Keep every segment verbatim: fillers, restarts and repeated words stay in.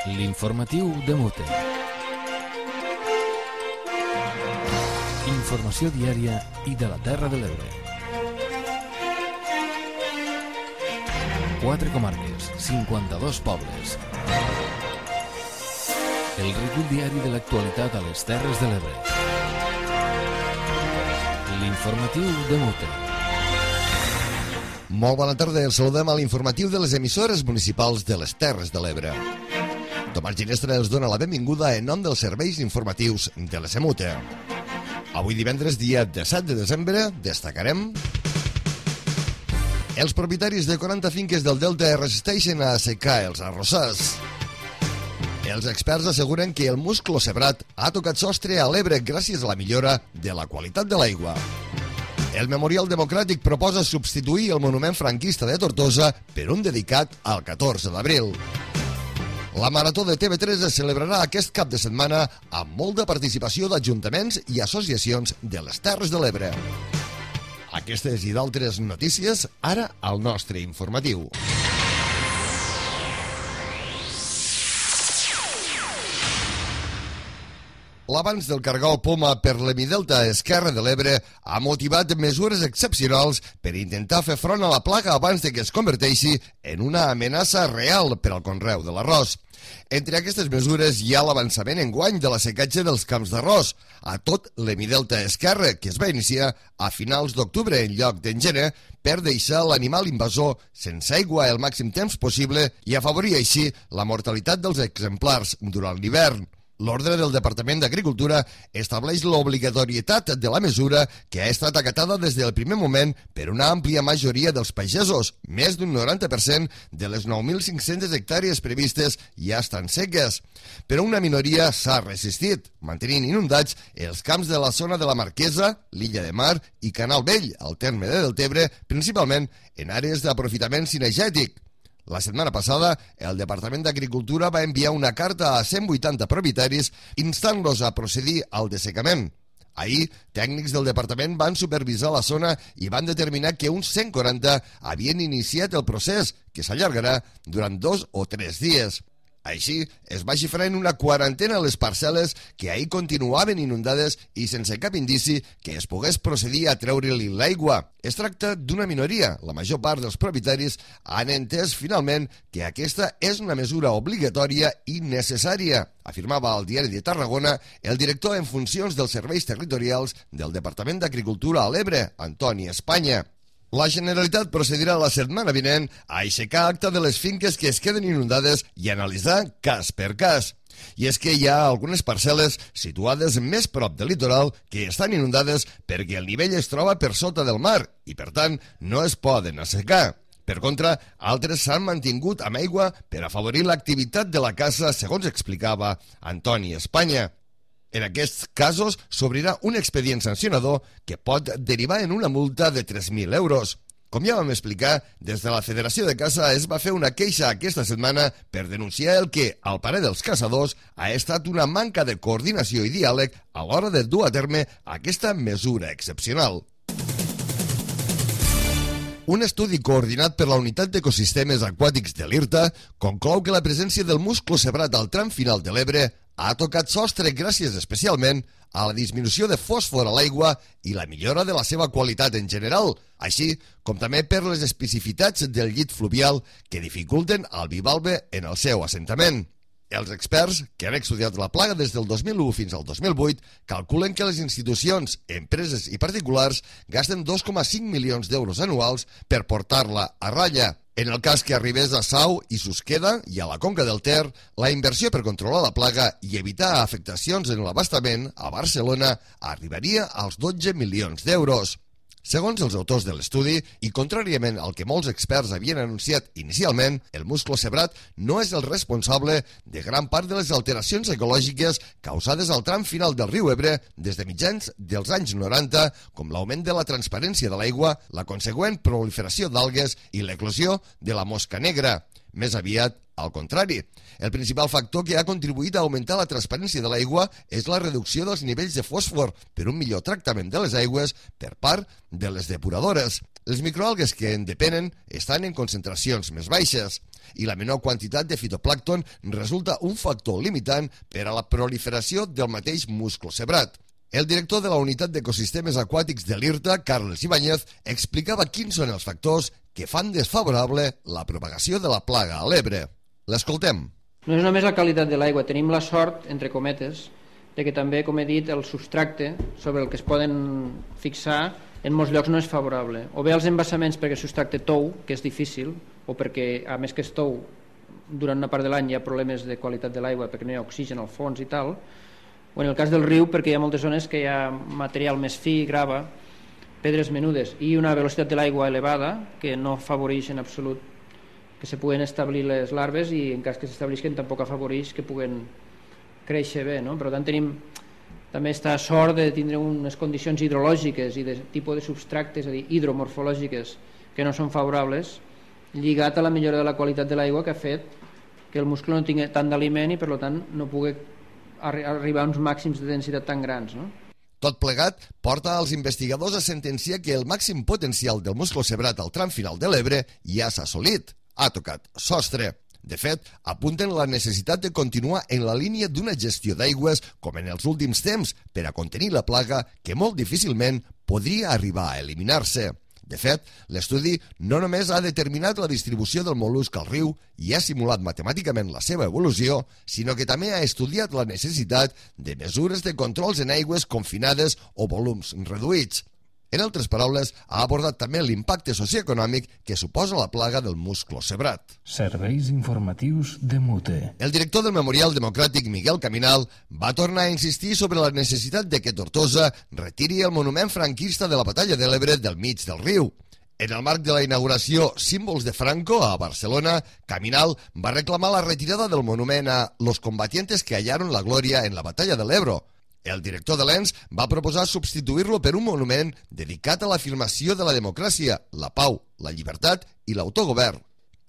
L'informatiu de Mute. Informació diària i de la Terra de l'Ebre. Quatre comarques, cinquanta-dos pobles. El recull diari de l'actualitat a les Terres de l'Ebre. L'informatiu de Mute. Molt bona tarda, els saludem a l'informatiu de les emissores municipals de les Terres de l'Ebre. Tomàs Ginestra els dona la benvinguda en nom dels serveis informatius de la Semute. Avui divendres, dia disset de desembre, destacarem: els propietaris de quaranta finques del Delta es resisteixen a assecar els arrossars. Els experts asseguren que el musclo cebrat ha tocat sostre a l'Ebre gràcies a la millora de la qualitat de l'aigua. El Memorial Democràtic proposa substituir el monument franquista de Tortosa per un dedicat al catorze d'abril. La Marató de T V tres es celebrarà aquest cap de setmana amb molta participació d'ajuntaments i associacions de les Terres de l'Ebre. Aquestes i d'altres notícies, ara al nostre informatiu. L'avanç del cargol poma per l'Hemidelta esquerra de l'Ebre ha motivat mesures excepcionals per intentar fer front a la plaga abans de que es converteixi en una amenaça real per al conreu de l'arròs. Entre aquestes mesures hi ha l'avançament enguany de la secatge dels camps d'arròs a tot l'Hemidelta esquerra, que es va iniciar a finals d'octubre en lloc d'engener, per deixar l'animal invasor sense aigua el màxim temps possible i afavorir així la mortalitat dels exemplars durant l'hivern. L'ordre del Departament d'Agricultura estableix l'obligatorietat de la mesura, que ha estat acatada des del primer moment per una àmplia majoria dels pagesos. Més d'un noranta per cent de les nou mil cinc-centes hectàrees previstes ja estan seques. Però una minoria s'ha resistit, mantenint inundats els camps de la zona de la Marquesa, l'Illa de Mar i Canal Vell, al terme de Deltebre, principalment en àrees d'aprofitament cinegètic. La setmana passada, el Departament d'Agricultura va enviar una carta a cent vuitanta propietaris instant-los a procedir al dessecament. Ahir, tècnics del departament van supervisar la zona i van determinar que uns cent quaranta havien iniciat el procés, que s'allargarà durant dos o tres dies. Així, es va xifrar en una quarantena les parcel·les que ahir continuaven inundades i sense cap indici que es pogués procedir a treure-li l'aigua. Es tracta d'una minoria. La major part dels propietaris han entès finalment que aquesta és una mesura obligatòria i necessària, afirmava al Diari de Tarragona el director en funcions dels serveis territorials del Departament d'Agricultura a l'Ebre, Antoni Espanya. La Generalitat procedirà la setmana vinent a aixecar acta de les finques que es queden inundades i analitzar cas per cas. I és que hi ha algunes parcel·les situades més prop del litoral que estan inundades perquè el nivell es troba per sota del mar i, per tant, no es poden assecar. Per contra, altres s'han mantingut amb aigua per afavorir l'activitat de la caça, segons explicava Antoni Espanya. En aquests casos s'obrirà un expedient sancionador que pot derivar en una multa de tres mil euros. Com ja vam explicar, des de la Federació de Caça es va fer una queixa aquesta setmana per denunciar el que, al parer dels caçadors, ha estat una manca de coordinació i diàleg a l'hora de dur a terme aquesta mesura excepcional. Un estudi coordinat per la Unitat d'Ecosistemes Aquàtics de l'IRTA conclou que la presència del musclo cebrat al tram final de l'Ebre ha tocat sostre gràcies especialment a la disminució de fòsfor a l'aigua i la millora de la seva qualitat en general, així com també per les especificitats del llit fluvial que dificulten el bivalve en el seu assentament. Els experts, que han estudiat la plaga des del dos mil u fins al dos mil vuit, calculen que les institucions, empreses i particulars gasten dos coma cinc milions d'euros anuals per portar-la a ratlla. En el cas que arribés a Sau i Susqueda i a la Conca del Ter, la inversió per controlar la plaga i evitar afectacions en l'abastament a Barcelona arribaria als dotze milions d'euros. Segons els autors de l'estudi, i contràriament al que molts experts havien anunciat inicialment, el musclo cebrat no és el responsable de gran part de les alteracions ecològiques causades al tram final del riu Ebre des de mitjans dels anys noranta, com l'augment de la transparència de l'aigua, la consegüent proliferació d'algues i l'eclosió de la mosca negra. Més aviat, al contrari. El principal factor que ha contribuït a augmentar la transparència de l'aigua és la reducció dels nivells de fòsfor per un millor tractament de les aigües per part de les depuradores. Les microalgues que en depenen estan en concentracions més baixes. i la menor quantitat de fitoplàncton resulta un factor limitant per a la proliferació del mateix musclocebrat. El director de la Unitat d'Ecosistemes Aquàtics de l'I R T A, Carles Ibáñez, explicava quins són els factors que fan desfavorable la propagació de la plaga a l'Ebre. L'escoltem. No és només la qualitat de l'aigua, tenim la sort, entre cometes, de que també, com he dit, el substracte sobre el que es poden fixar en molts llocs no és favorable. O bé els embassaments perquè el substracte tou, que és difícil, o perquè, a més que es tou, durant una part de l'any hi ha problemes de qualitat de l'aigua perquè no hi ha oxigen al fons i tal, o en el cas del riu perquè hi ha moltes zones que hi ha material més fi, grava, pedres menudes i una velocitat de l'aigua elevada que no afavoreix en absolut que se puguen establir les larves i en cas que s'establisquen tampoc afavoreix que puguen créixer bé, no? Per tant tenim també està sort de tindre unes condicions hidrològiques i de tipus de substractes, és a dir, hidromorfològiques que no són favorables, lligat a la millora de la qualitat de l'aigua que ha fet que el muscle no tingui tant d'aliment i per tant no pugui arribar a uns màxims de densitat tan grans, no? Tot plegat porta als investigadors a sentenciar que el màxim potencial del musclocebrat al tram final de l'Ebre ja s'ha assolit, ha tocat sostre. De fet, apunten la necessitat de continuar en la línia d'una gestió d'aigües com en els últims temps per a contenir la plaga que molt difícilment podria arribar a eliminar-se. De fet, l'estudi no només ha determinat la distribució del mol·lusc al riu i ha simulat matemàticament la seva evolució, sinó que també ha estudiat la necessitat de mesures de controls en aigües confinades o volums reduïts. En altres paraules, ha abordat també l'impacte socioeconòmic que suposa la plaga del musclocebrat. Serveis informatius de Mute. El director del Memorial Democràtic, Miguel Caminal, va tornar a insistir sobre la necessitat de que Tortosa retiri el monument franquista de la Batalla de l'Ebre del mig del riu. En el marc de la inauguració Símbols de Franco a Barcelona, Caminal va reclamar la retirada del monument a los combatientes que hallaron la gloria en la Batalla de l'Ebro. El director de l'E N S va proposar substituir-lo per un monument dedicat a l'afirmació de la democràcia, la pau, la llibertat i l'autogovern.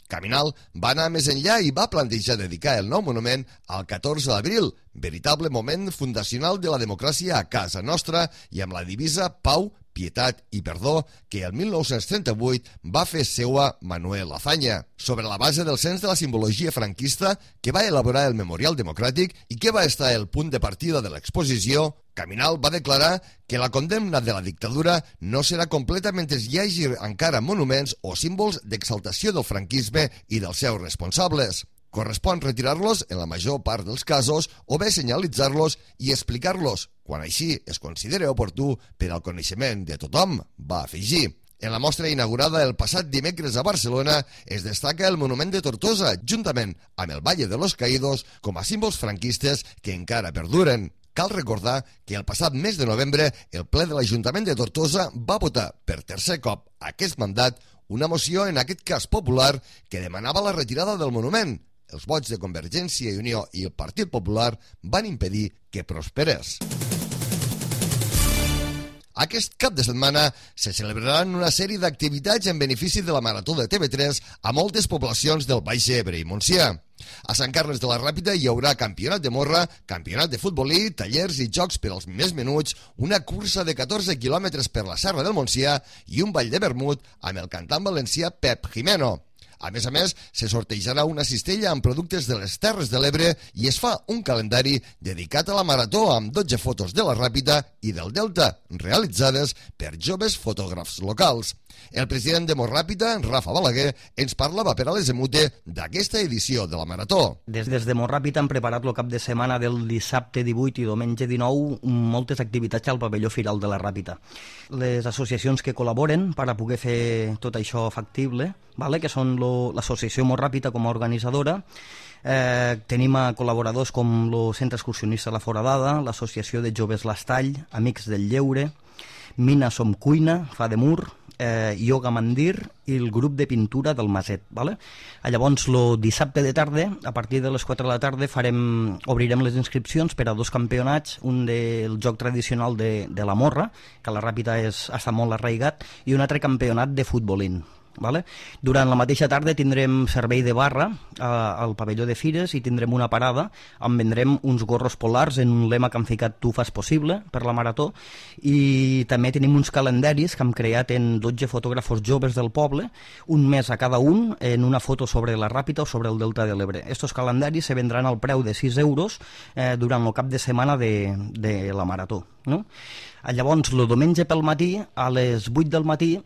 Caminal va anar més enllà i va plantejar dedicar el nou monument al catorze d'abril, veritable moment fundacional de la democràcia a casa nostra i amb la divisa Pau, Pietat i Perdó que el mil nou-cents trenta-vuit va fer seua Manuel Azaña, sobre la base del cens de la simbologia franquista que va elaborar el Memorial Democràtic i que va estar el punt de partida de l'exposició. Caminal va declarar que la condemna de la dictadura no serà completa mentre hi hagi encara monuments o símbols d'exaltació del franquisme i dels seus responsables. Correspon retirar-los en la major part dels casos o bé senyalitzar-los i explicar-los, quan així es consideri oportú per al coneixement de tothom, va afegir. En la mostra inaugurada el passat dimecres a Barcelona es destaca el monument de Tortosa, juntament amb el Valle de los Caídos, com a símbols franquistes que encara perduren. Cal recordar que el passat mes de novembre el ple de l'Ajuntament de Tortosa va votar per tercer cop aquest mandat una moció, en aquest cas popular, que demanava la retirada del monument. Els vots de Convergència i Unió i el Partit Popular van impedir que prosperés. Aquest cap de setmana se celebraran una sèrie d'activitats en benefici de la Marató de T V tres a moltes poblacions del Baix Ebre i Montsià. A Sant Carles de la Ràpita hi haurà campionat de morra, campionat de futbolí, tallers i jocs per als més menuts, una cursa de catorze quilòmetres per la Serra del Montsià i un ball de vermut amb el cantant valencià Pep Jimeno. A més a més, se sortejarà una cistella amb productes de les Terres de l'Ebre i es fa un calendari dedicat a la marató amb dotze fotos de la Ràpita i del Delta, realitzades per joves fotògrafs locals. El president de Morràpita, Rafa Balaguer, ens parlava per a les Emute d'aquesta edició de la marató. Des, des de Morràpita hem preparat el cap de setmana del dissabte divuit i diumenge dinou moltes activitats al pavelló Firal de la Ràpita. Les associacions que col·laboren per a poder fer tot això factible, vale? Que són l'associació Morràpita com a organitzadora, eh, tenim a col·laboradors com el Centre Excursionista La Foradada, l'Associació de Joves L'Estall, Amics del Lleure, Mina Som Cuina, Fa de Mur, eh, Yoga Mandir i el grup de pintura del Maset. Vale? Llavors, el dissabte de tarda, a partir de les quatre de la tarda, farem, obrirem les inscripcions per a dos campionats, un del joc tradicional de, de la morra, que a la Ràpita és, està molt arraigat, i un altre campionat de futbolín. Vale? Durant la mateixa tarda tindrem servei de barra eh, al pavelló de Fires i tindrem una parada on vendrem uns gorros polars en un lema que han ficat Tu fas possible per la marató, i també tenim uns calendaris que hem creat en dotze fotògrafos joves del poble, un mes a cada un en una foto sobre la Ràpita o sobre el Delta de l'Ebre. Estos calendaris se vendran al preu de sis euros eh, durant el cap de setmana de, de la marató, no? Llavors, el diumenge pel matí, a les vuit del matí,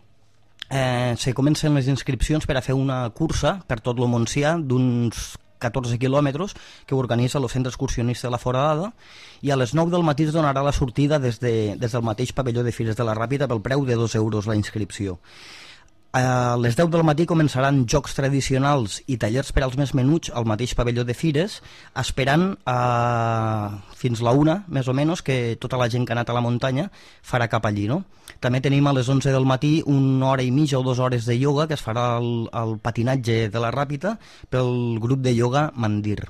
Eh, se comencen les inscripcions per a fer una cursa per tot el Montsià d'uns catorze quilòmetres que organitza el Centre Excursionista de la Foradada, i a les nou del matí es donarà la sortida des, de, des del mateix pavelló de Fires de la Ràpita pel preu de dos euros la inscripció. A les deu del matí començaran jocs tradicionals i tallers per als més menuts al mateix pavelló de Fires, esperant eh, fins la una, més o menys, que tota la gent que ha anat a la muntanya farà cap allí, no? També tenim a les onze del matí una hora i mitja o dues hores de ioga que es farà al, al patinatge de la Ràpita pel grup de ioga Mandir.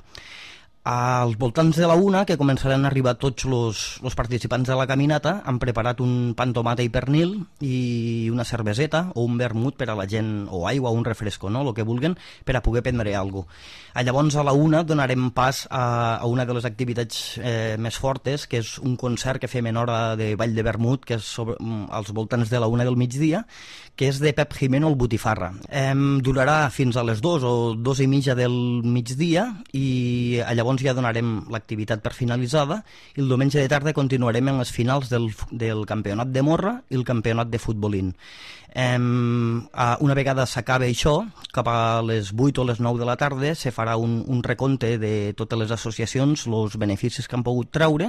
Als voltants de la una, que començaran a arribar tots els participants de la caminata, han preparat un pa amb tomata i pernil i una cerveseta o un vermut per a la gent, o aigua o un refresco, no? El que vulguen, per a poder prendre alguna cosa. Llavors a la una donarem pas a, a una de les activitats eh, més fortes, que és un concert que fem en hora de ball de vermut, que és sobre, als voltants de la una del migdia, que és de Pep Jimeno el Botifarra. Eh, durarà fins a les dues o dues i mitja del migdia, i llavors ja donarem l'activitat per finalitzada, i el diumenge de tarda continuarem en les finals del, del campionat de morra i el campionat de futbolín. Eh, una vegada s'acabe això, cap a les vuit o les nou de la tarda se farà un, un recompte de totes les associacions, els beneficis que han pogut treure,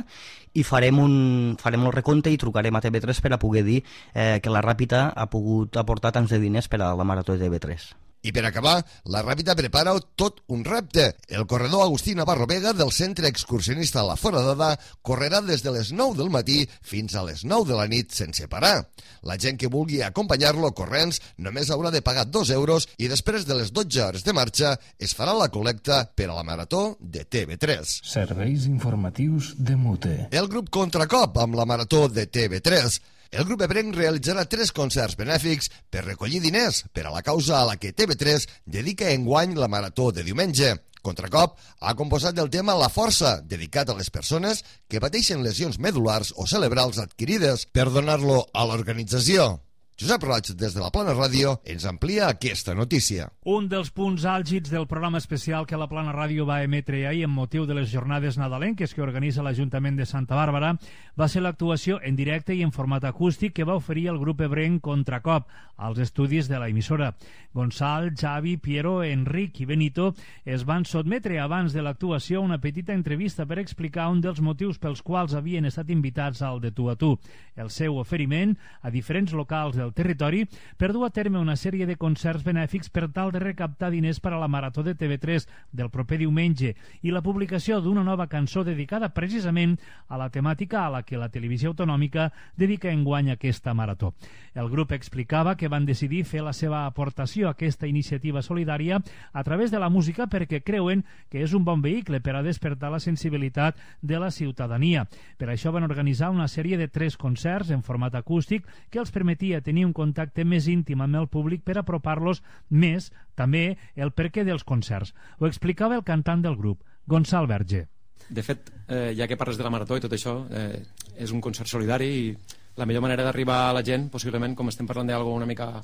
i farem, un, farem el recompte i trucarem a T V tres per a poder dir eh, que la Ràpita ha pogut aportar tants de diners per a la marató de T V tres. I per acabar, la Ràpita prepara tot un repte. El corredor Agustí Navarro Vega del Centre Excursionista La Foradada correrà des de les nou del matí fins a les nou de la nit sense parar. La gent que vulgui acompanyar-lo corrents només haurà de pagar dos euros i després de les dotze hores de marxa es farà la col·lecta per a la marató de T V tres. Serveis informatius de Mute. El grup Contracop amb la marató de T V tres. El grup ebrenc realitzarà tres concerts benèfics per recollir diners per a la causa a la que T V tres dedica enguany la marató de diumenge. Contracop ha composat el tema La Força, dedicat a les persones que pateixen lesions medulars o cerebrals adquirides, per donar-lo a l'organització. Josep Roig, des de la Plana Ràdio, ens amplia aquesta notícia. Un dels punts àlgids del programa especial que la Plana Ràdio va emetre ahir amb motiu de les jornades nadalenques que organitza l'Ajuntament de Santa Bàrbara va ser l'actuació en directe i en format acústic que va oferir el grup ebrenc Contracop als estudis de la emissora. Gonçal, Xavi, Piero, Enric i Benito es van sotmetre abans de l'actuació a una petita entrevista per explicar un dels motius pels quals havien estat invitats al de Tu a Tu, el seu oferiment a diferents locals del territori per dur a terme una sèrie de concerts benèfics per tal de recaptar diners per a la marató de T V tres del proper diumenge i la publicació d'una nova cançó dedicada precisament a la temàtica a la que la televisió autonòmica dedica enguany aquesta marató. El grup explicava que van decidir fer la seva aportació a aquesta iniciativa solidària a través de la música perquè creuen que és un bon vehicle per a despertar la sensibilitat de la ciutadania. Per això van organitzar una sèrie de tres concerts en format acústic que els permetia tenir un contacte més íntim amb el públic per apropar-los més, també, el perquè dels concerts. Ho explicava el cantant del grup, Gonçal Verge. De fet, eh, ja que parles de la marató i tot això, eh, és un concert solidari i la millor manera d'arribar a la gent, possiblement, com estem parlant d'alguna una mica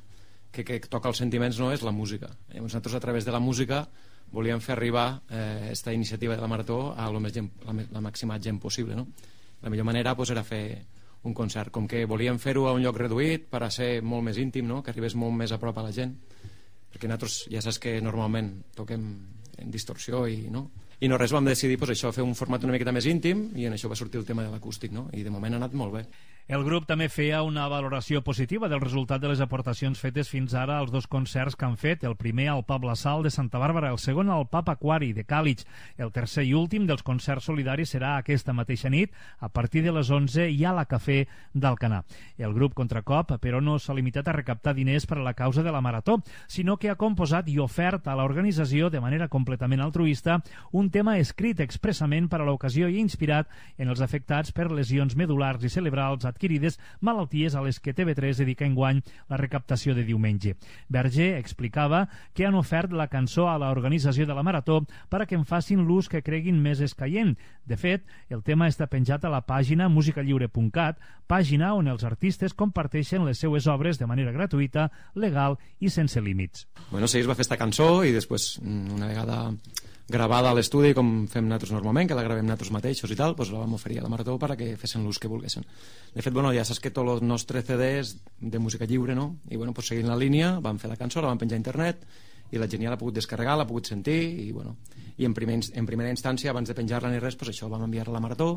que, que toca els sentiments, no és la música. Eh, nosaltres, a través de la música, volíem fer arribar aquesta eh, iniciativa de la marató a la, més gent, la, la màxima gent possible. No? La millor manera pues, era fer un concert, com que volíem fer-ho a un lloc reduït per a ser molt més íntim, no? Que arribés molt més a prop a la gent, perquè nosaltres ja saps que normalment toquem en distorsió i no, i no res, vam decidir pues, això, fer un format una miqueta més íntim i en això va sortir el tema de l'acústic, no? I de moment ha anat molt bé. El grup també feia una valoració positiva del resultat de les aportacions fetes fins ara als dos concerts que han fet, el primer al Pub La Sal de Santa Bàrbara, el segon al Pub Aquari de Càlig. El tercer i últim dels concerts solidaris serà aquesta mateixa nit, a partir de les onze i a la Cafè d'Alcanar. El grup Contracop, però, no s'ha limitat a recaptar diners per a la causa de la marató, sinó que ha composat i ofert a l'organització, de manera completament altruista, un un tema escrit expressament per a l'ocasió i inspirat en els afectats per lesions medulars i cerebrals adquirides, malalties a les que T V tres dedica enguany la recaptació de diumenge. Verger explicava que han ofert la cançó a l'organització de la Marató per a que en facin l'ús que creguin més escaient. De fet, el tema està penjat a la pàgina música lliure punt cat, pàgina on els artistes comparteixen les seues obres de manera gratuïta, legal i sense límits. Bueno, sí, es va fer esta cançó i després, una vegada gravada a l'estudi, com fem nosaltres normalment, que la gravem nosaltres mateixos i tal, doncs la vam oferir a la Marató perquè fessin l'ús que volguessin. De fet, bueno, ja saps que tots els nostres C Ds de música lliure, no? I bueno, pues, seguint la línia, vam fer la cançó, la vam penjar a internet, i la gent ja l'ha pogut descarregar, l'ha pogut sentir, i, bueno, i en, primer, en primera instància, abans de penjar-la ni res, pues això ho vam enviar a la Marató,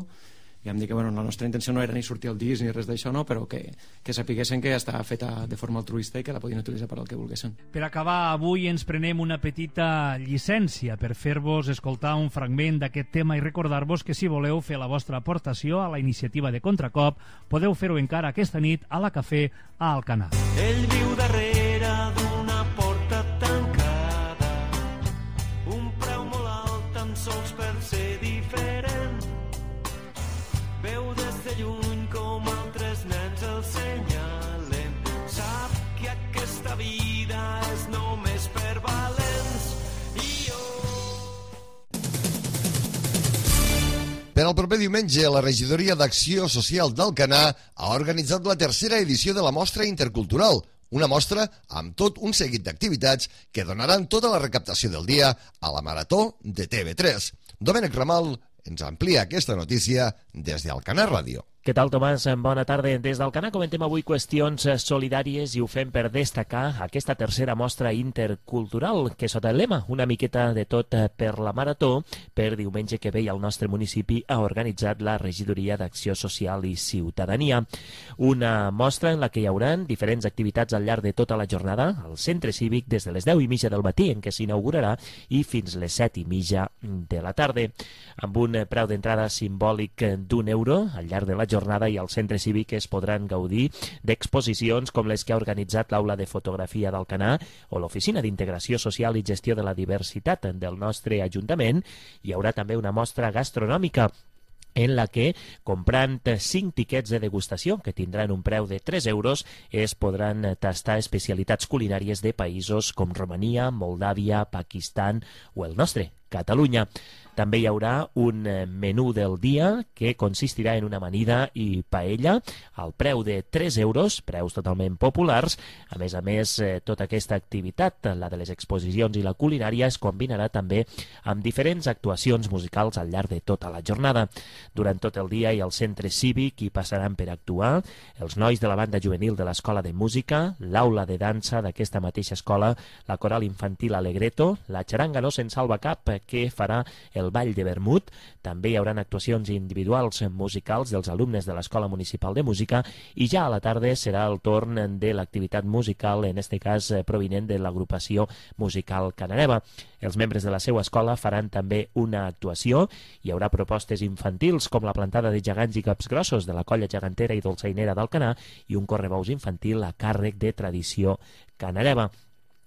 i vam dir que bueno, la nostra intenció no era ni sortir al disc ni res d'això, no, però que, que sapiguessin que està feta de forma altruista i que la podien utilitzar per al que volguessin. Per acabar, avui ens prenem una petita llicència per fer-vos escoltar un fragment d'aquest tema i recordar-vos que si voleu fer la vostra aportació a la iniciativa de Contracop, podeu fer-ho encara aquesta nit a la Cafè a Alcanar. Ell viu darrere d'una porta tancada, un preu molt alt tan sols per ser diferent. Veu des de lluny com altres nens el senyalen. Sap que aquesta vida és només per valents. I jo... Per al proper diumenge, la Regidoria d'Acció Social d'Alcanar ha organitzat la tercera edició de la Mostra Intercultural, una mostra amb tot un seguit d'activitats que donaran tota la recaptació del dia a la Marató de T V tres. Domènec Ramal ens amplia aquesta notícia des d'Alcanar Ràdio. Què tal, Tomàs? Bona tarda. Des d'Alcanar comentem avui qüestions solidàries i ho fem per destacar aquesta tercera mostra intercultural que sota el lema una miqueta de tot per la Marató per diumenge que ve al nostre municipi ha organitzat la Regidoria d'Acció Social i Ciutadania. Una mostra en la que hi haurà diferents activitats al llarg de tota la jornada al centre cívic des de les deu i mitja del matí en què s'inaugurarà i fins les set i mitja de la tarda. Amb un preu d'entrada simbòlic d'un euro al llarg de la jornada i al centre cívic es podran gaudir d'exposicions com les que ha organitzat l'Aula de Fotografia d'Alcanar o l'Oficina d'Integració Social i Gestió de la Diversitat del nostre Ajuntament. Hi haurà també una mostra gastronòmica en la que, comprant cinc tiquets de degustació, que tindran un preu de tres euros, es podran tastar especialitats culinàries de països com Romania, Moldàvia, Pakistan o el nostre, Catalunya. També hi haurà un menú del dia que consistirà en una amanida i paella al preu de tres euros, preus totalment populars. A més a més, tota aquesta activitat, la de les exposicions i la culinària, es combinarà també amb diferents actuacions musicals al llarg de tota la jornada. Durant tot el dia i al centre cívic hi passaran per actuar els nois de la banda juvenil de l'Escola de Música, l'aula de dansa d'aquesta mateixa escola, la coral infantil Alegreto, la xaranga No Se'n Salva Cap, que farà el Ball de Vermut. També hi haurà actuacions individuals musicals dels alumnes de l'Escola Municipal de Música i ja a la tarda serà el torn de l'activitat musical, en este cas provinent de l'agrupació musical Canareva. Els membres de la seva escola faran també una actuació. Hi haurà propostes infantils com la plantada de gegants i capgrossos de la colla gegantera i dolçainera d'Alcanar i un correbous infantil a càrrec de Tradició Canareva.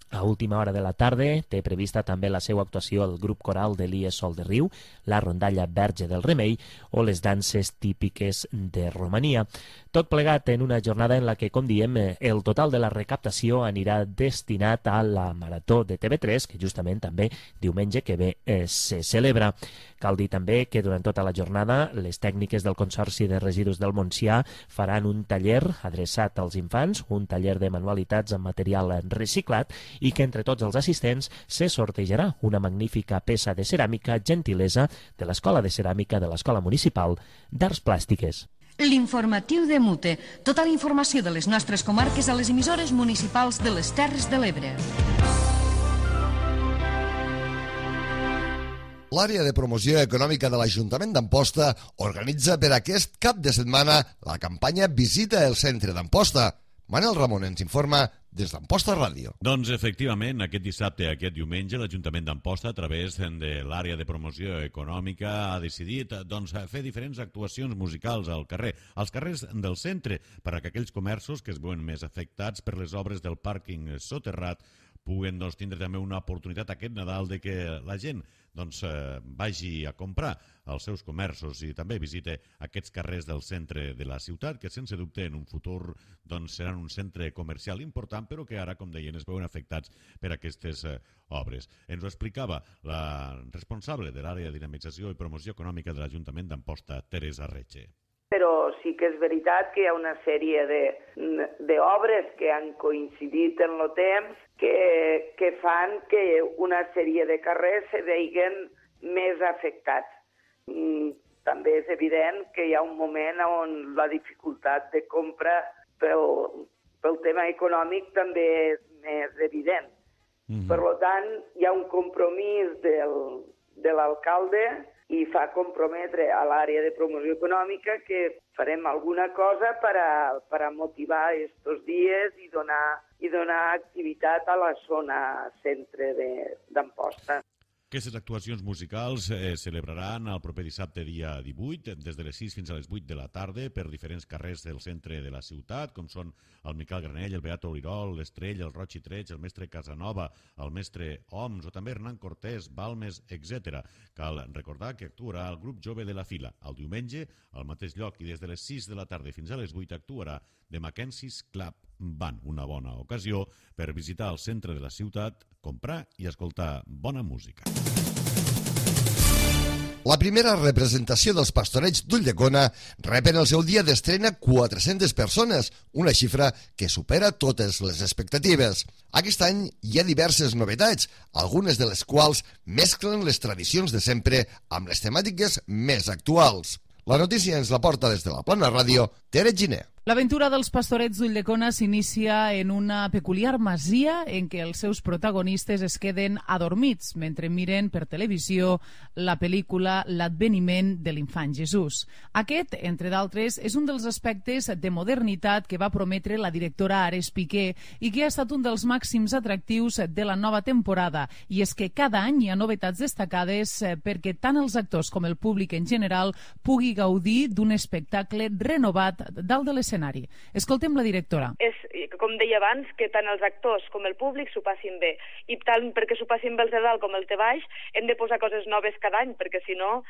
A última hora de la tarda té prevista també la seva actuació el grup coral de l'I E Sol de Riu, la rondalla Verge del Remei o les danses típiques de Romania. Tot plegat en una jornada en la que, com diem, el total de la recaptació anirà destinat a la Marató de T V tres, que justament també diumenge que ve eh, se celebra. Cal dir també que durant tota la jornada les tècniques del Consorci de Residus del Montsià faran un taller adreçat als infants, un taller de manualitats amb material reciclat i que entre tots els assistents se sortejarà una magnífica peça de ceràmica gentilesa de l'Escola de Ceràmica de l'Escola Municipal d'Arts Plàstiques. L'informatiu de Mute. Tota la informació de les nostres comarques a les emissores municipals de les Terres de l'Ebre. L'àrea de promoció econòmica de l'Ajuntament d'Amposta organitza per aquest cap de setmana la campanya Visita el Centre d'Amposta. Manel Ramon ens informa des d'Amposta Ràdio. Doncs efectivament, aquest dissabte i aquest diumenge l'Ajuntament d'Amposta, a través de l'àrea de promoció econòmica, ha decidit doncs, fer diferents actuacions musicals al carrer, als carrers del centre, per a que aquells comerços que es veuen més afectats per les obres del pàrquing soterrat puguen doncs, tindre també una oportunitat aquest Nadal de que la gent doncs, eh, vagi a comprar als seus comerços i també visite aquests carrers del centre de la ciutat, que sense dubte en un futur doncs, seran un centre comercial important, però que ara, com deien, es veuen afectats per aquestes eh, obres. Ens ho explicava la responsable de l'àrea de dinamització i promoció econòmica de l'Ajuntament d'Amposta, Teresa Retxe. Però sí que és veritat que hi ha una sèrie d'obres que han coincidit en el temps que, que fan que una sèrie de carrers se veiguen més afectats. També és evident que hi ha un moment on la dificultat de compra pel, pel tema econòmic també és més evident. Mm-hmm. Per tant, hi ha un compromís del, de l'alcalde i fa comprometre a l'àrea de promoció econòmica que farem alguna cosa per a, per a motivar estos dies i donar, i donar activitat a la zona centre d'Amposta. Aquestes actuacions musicals es eh, celebraran el proper dissabte dia divuit, des de les sis fins a les vuit de la tarda, per diferents carrers del centre de la ciutat, com són el Miquel Granell, el Beato Olirol, l'Estrell, el Roig i Treig, el mestre Casanova, el mestre Oms, o també Hernán Cortés, Balmes, etcètera. Cal recordar que actuarà el grup jove de la Fila el diumenge al mateix lloc i des de les sis de la tarda fins a les vuit actuarà The Mackenzie's Club Band, una bona ocasió per visitar el centre de la ciutat, comprar i escoltar bona música. La primera representació dels Pastorets d'Ulldecona rep en el seu dia d'estrena quatre-centes persones, una xifra que supera totes les expectatives. Aquest any hi ha diverses novetats, algunes de les quals mesclen les tradicions de sempre amb les temàtiques més actuals. La notícia ens la porta des de la Plana Ràdio, Tere Giner. L'aventura dels Pastorets d'Ulldecona s'inicia en una peculiar masia en què els seus protagonistes es queden adormits mentre miren per televisió la pel·lícula L'adveniment de l'infant Jesús. Aquest, entre d'altres, és un dels aspectes de modernitat que va prometre la directora Ares Piqué i que ha estat un dels màxims atractius de la nova temporada. I és que cada any hi ha novetats destacades perquè tant els actors com el públic en general pugui gaudir d'un espectacle renovat dalt de l'escenari. Escoltem la directora. És, com deia abans, que tant els actors com el públic s'ho passin bé. I tant perquè s'ho passin bé els de dalt com els de baix, hem de posar coses noves cada any, perquè si no,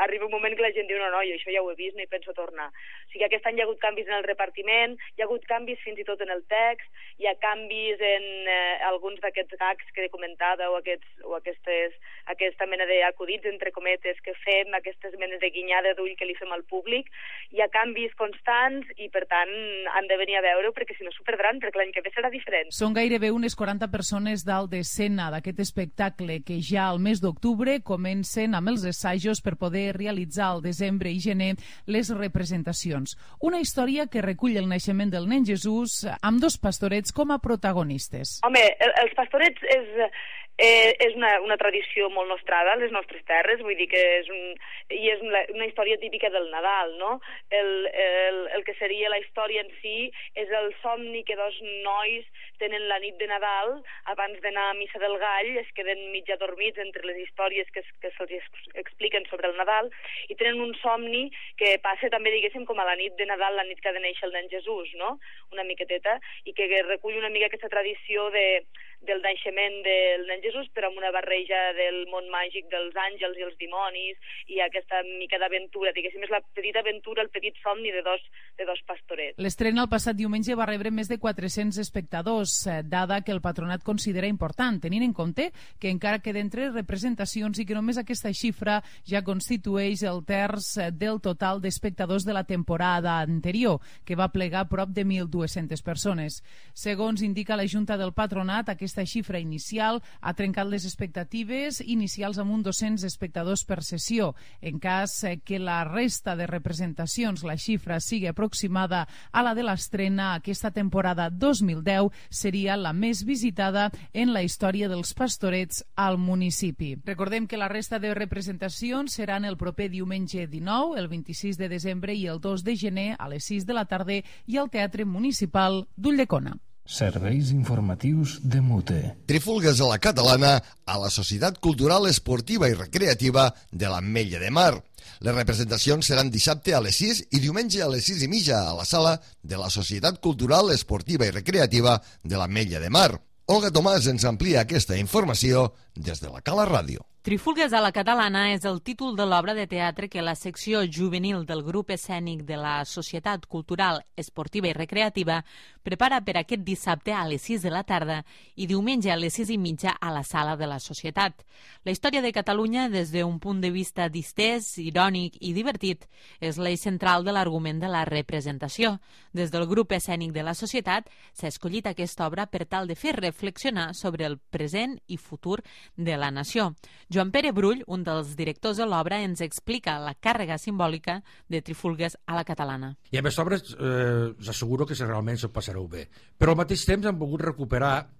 arriba un moment que la gent diu no, no, jo això ja ho he vist, no hi penso tornar. O sigui, aquest any hi ha hagut canvis en el repartiment, hi ha hagut canvis fins i tot en el text, hi ha canvis en eh, alguns d'aquests gags que comentava o, aquests, o aquestes, aquesta mena d'acudits, entre cometes, que fem, aquestes menes de guinyada d'ull que li fem al públic. Hi ha canvis constants i per tant han de venir a veure perquè si no s'ho perdran, perquè l'any que ve serà diferent. Són gairebé unes quaranta persones dalt d'escena d'aquest espectacle que ja al mes d'octubre comencen amb els assajos per poder realitzar al desembre i gener les representacions. Una història que recull el naixement del nen Jesús amb dos pastorets com a protagonistes. Home, els pastorets és... Eh, és una, una tradició molt nostrada a les nostres terres, vull dir que és, un, i és una, una història típica del Nadal, no? El, el, el que seria la història en si és el somni que dos nois tenen la nit de Nadal, abans d'anar a Missa del Gall, es queden mig adormits entre les històries que, que se'ls expliquen sobre el Nadal, i tenen un somni que passa també, diguéssim, com a la nit de Nadal, la nit que ha de néixer el nen Jesús, no? Una miqueteta, i que recull una mica aquesta tradició de, del naixement del nen Jesús, però amb una barreja del món màgic dels àngels i els dimonis i aquesta mica d'aventura, diguéssim, és la petita aventura, el petit somni de dos, de dos pastorets. L'estrena el passat diumenge va rebre més de quatre-cents espectadors, dada que el patronat considera important, tenint en compte que encara queden tres representacions i que només aquesta xifra ja constitueix el terç del total d'espectadors de la temporada anterior, que va plegar prop de mil dues-centes persones. Segons indica la Junta del Patronat, aquesta xifra inicial ha trencat les expectatives inicials amb un dos-cents espectadors per sessió. En cas que la resta de representacions, la xifra sigui aproximada a la de l'estrena, aquesta temporada dos mil deu seria la més visitada en la història dels pastorets al municipi. Recordem que la resta de representacions seran el proper diumenge dinou, el vint-i-sis de desembre i el dos de gener a les sis de la tarda i al Teatre Municipal d'Ulldecona. Serveis informatius de Mute. Trifulgues a la catalana a la Societat Cultural Esportiva i Recreativa de l'Ametlla de Mar. Les representacions seran dissabte a les sis i diumenge a les sis i mitja a la sala de la Societat Cultural Esportiva i Recreativa de l'Ametlla de Mar. Olga Tomàs ens amplia aquesta informació des de la Cala Ràdio. Trifulgues a la catalana és el títol de l'obra de teatre que la secció juvenil del grup escènic de la Societat Cultural, Esportiva i Recreativa prepara per aquest dissabte a les sis de la tarda i diumenge a les sis i mitja a la sala de la Societat. La història de Catalunya, des d'un punt de vista distès, irònic i divertit, és l'eix central de l'argument de la representació. Des del grup escènic de la Societat s'ha escollit aquesta obra per tal de fer reflexionar sobre el present i futur de la nació. Joan Pere Brull, un dels directors de l'obra, ens explica la càrrega simbòlica de Trifulgues a la catalana. I amb aquesta obra eh, us asseguro que realment s'ho passareu bé. Però al mateix temps hem volgut recuperar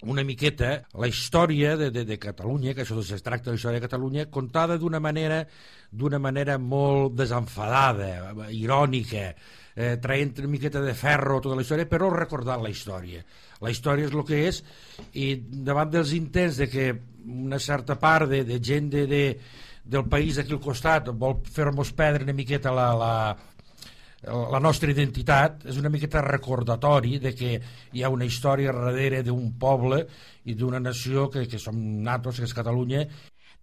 una miqueta la història de, de, de Catalunya, que això es tracta de la història de Catalunya, contada d'una manera, d'una manera molt desenfadada, irònica, eh, traient una miqueta de ferro tota la història, però recordant la història. La història és el que és, i davant dels intents de que una certa part de, de gent de, de, del país d'aquí al costat vol fer-nos perdre una miqueta la, la, la nostra identitat, és una miqueta recordatori de que hi ha una història darrere d'un poble i d'una nació que, que som natos, que és Catalunya.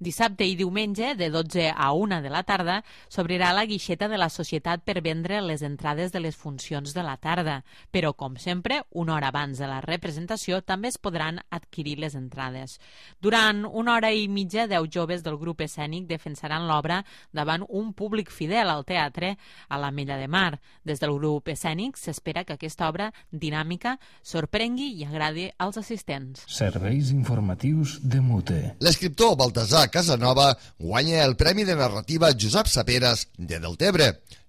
Dissabte i diumenge, de dotze a una de la tarda, s'obrirà la guixeta de la Societat per vendre les entrades de les funcions de la tarda. Però, com sempre, una hora abans de la representació també es podran adquirir les entrades. Durant una hora i mitja, deu joves del grup escènic defensaran l'obra davant un públic fidel al teatre a la Mella de Mar. Des del grup escènic s'espera que aquesta obra dinàmica sorprengui i agradi als assistents. Serveis informatius de Mute. L'escriptor Baltasar Casanova guanya el Premi de Narrativa Josep Saperas de Deltebre.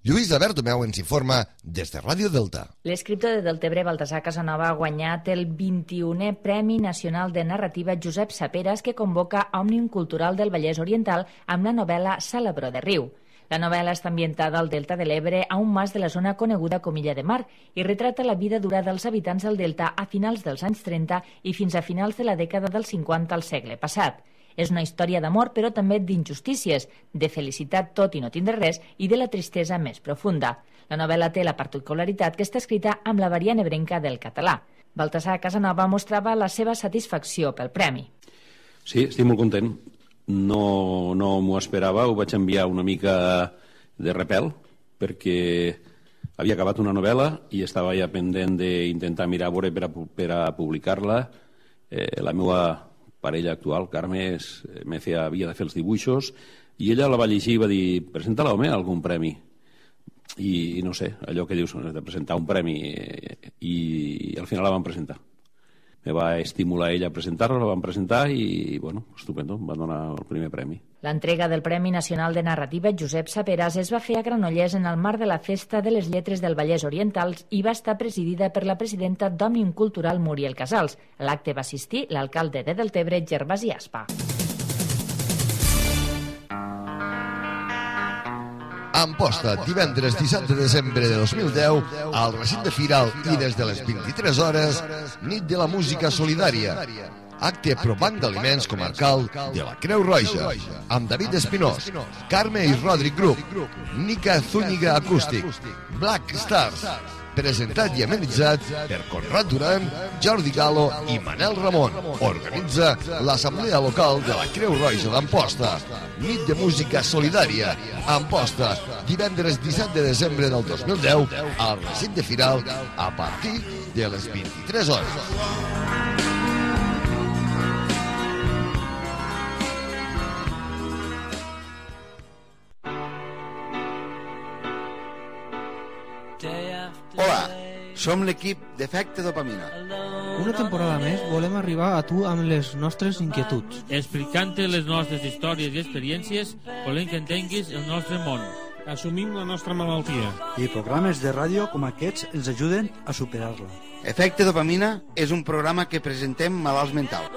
Lluïsa Bertomeu ens informa des de Ràdio Delta. L'escriptor de Deltebre, Baltasar Casanova, ha guanyat el vint-i-unè Premi Nacional de Narrativa Josep Saperas, que convoca Òmnium Cultural del Vallès Oriental amb la novel·la Salabro de Riu. La novel·la està ambientada al Delta de l'Ebre, a un mas de la zona coneguda com Illa de Mar, i retrata la vida dura dels habitants del Delta a finals dels anys trenta i fins a finals de la dècada dels cinquanta al segle passat. És una història d'amor, però també d'injustícies, de felicitat tot i no tindre res, i de la tristesa més profunda. La novel·la té la particularitat que està escrita amb la variant ebrenca del català. Baltasar Casanova mostrava la seva satisfacció pel premi. Sí, estic molt content. No, no m'ho esperava, ho vaig enviar una mica de repel, perquè havia acabat una novel·la i estava ja pendent d'intentar mirar a veure per a, per a publicar-la. Eh, la meva parella actual, Carme, és, me feia, havia de fer els dibuixos, i ella la va llegir i va dir, presenta-la, home, algun premi. I, i no sé, allò que dius, de presentar un premi, i, i al final la van presentar. Me va estimular ella a presentar-la, la van presentar i, bueno, estupendo, em van donar el primer premi. L'entrega del Premi Nacional de Narrativa Josep Saperas es va fer a Granollers en el marc de la Festa de les Lletres del Vallès Oriental i va estar presidida per la presidenta d'Òmnium Cultural, Muriel Casals. A l'acte va assistir l'alcalde de Deltebre, Gervasi Aspa. Amposta, divendres disset de desembre de dos mil deu, al recinte Firal i des de les vint-i-tres hores, nit de la música solidària. Acte pro Banc d'Aliments Comarcal de la Creu Roja, amb David Espinós, Carme i Rodric Group, Nica Zúñiga Acústic, Black Stars, presentat i amenitzat per Conrad Duran, Jordi Galo i Manel Ramon. Organitza l'Assemblea Local de la Creu Roja d'Amposta. Nit de música solidària. Amposta, divendres disset de desembre del dos mil deu, al recinte Firal, a partir de les vint-i-tres hores. Hola, som l'equip d'Efecte Dopamina. Una temporada més volem arribar a tu amb les nostres inquietuds. Explicant-te les nostres històries i experiències, volem que entenguis el nostre món. Assumim la nostra malaltia. I programes de ràdio com aquests ens ajuden a superar-la. Efecte Dopamina és un programa que presentem malalts mentals.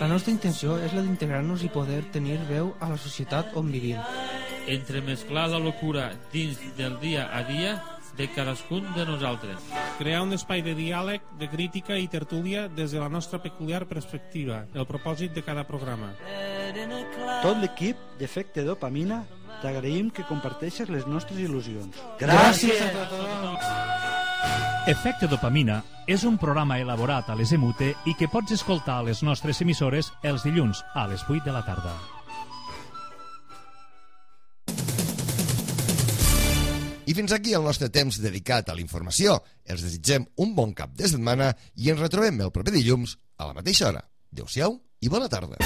La nostra intenció és la d'integrar-nos i poder tenir veu a la societat on vivim. Entremesclar la locura dins del dia a dia de cadascun de nosaltres. Crear un espai de diàleg, de crítica i tertúlia des de la nostra peculiar perspectiva, el propòsit de cada programa. Tot l'equip d'Efecte Dopamina t'agraïm que comparteixes les nostres il·lusions. Gràcies a tothom! Efecte Dopamina és un programa elaborat a les EMUTE i que pots escoltar a les nostres emissores els dilluns a les vuit de la tarda. I fins aquí el nostre temps dedicat a la informació. Els desitgem un bon cap de setmana i ens retrobem el proper dilluns a la mateixa hora. Adéu-siau i bona tarda.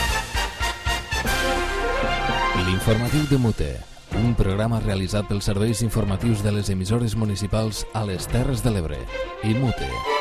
L'informatiu de Mute, un programa realitzat pels serveis informatius de les emissores municipals a les Terres de l'Ebre i Mute.